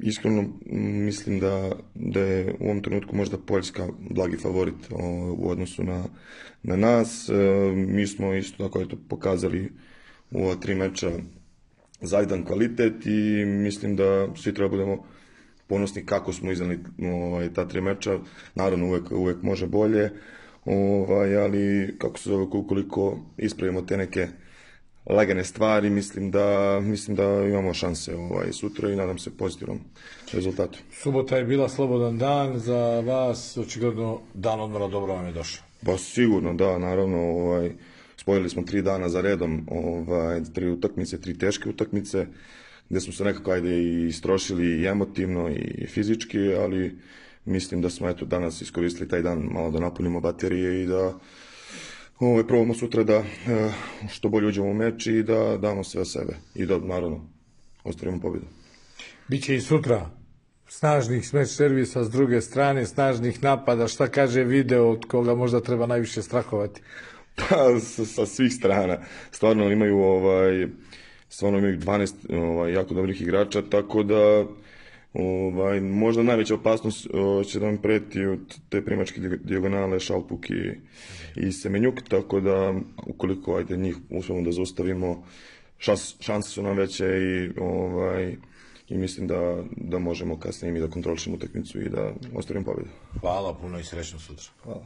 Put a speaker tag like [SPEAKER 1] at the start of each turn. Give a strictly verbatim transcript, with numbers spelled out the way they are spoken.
[SPEAKER 1] iskreno mislim da, da je u ovom trenutku možda Poljska blagi favorit o, u odnosu na, na nas. E, mi smo isto tako eto, pokazali u ova tri meča zajdan kvalitet i mislim da svi treba budemo ponosni kako smo iznali ovaj, ta tri meča. Naravno uvek, uvek može bolje, ovaj, ali kako se zove, ukoliko ispravimo te neke lagane stvari, mislim da, mislim da imamo šanse ovaj, sutra i nadam se pozitivnom rezultatu.
[SPEAKER 2] Subota je bila slobodan dan za vas, očigledno dan odmora dobro vam je došao.
[SPEAKER 1] Pa sigurno, da, naravno, ovaj, spojili smo tri dana za redom, ovaj, tri utakmice, tri teške utakmice, gde smo se nekako ajde i istrošili i emotivno i fizički, ali mislim da smo eto danas iskoristili taj dan malo da napunimo baterije i da ovaj, probamo sutra da što bolje uđemo u meč i da damo sve sebe i da naravno ostvarimo pobjedu.
[SPEAKER 2] Biće i sutra snažnih smeč servisa s druge strane, snažnih napada, šta kaže video od koga možda treba najviše strahovati?
[SPEAKER 1] Pa sa, sa svih strana. Stvarno imaju ovaj stvarno imaju dvanaest ovaj, jako dobrih igrača, tako da ovaj, možda najveća opasnost o, će da vam preti od te primačke dijagonale Šalpuk i, i Semenjuk, tako da ukoliko ajde, njih uspemo da zaustavimo, šans, šanse su nam veće i, ovaj, i mislim da, da možemo kasnije mi da kontrolišemo utakmicu i da ostvarimo pobjedu.
[SPEAKER 2] Hvala puno i srećno sutra.
[SPEAKER 1] Hvala.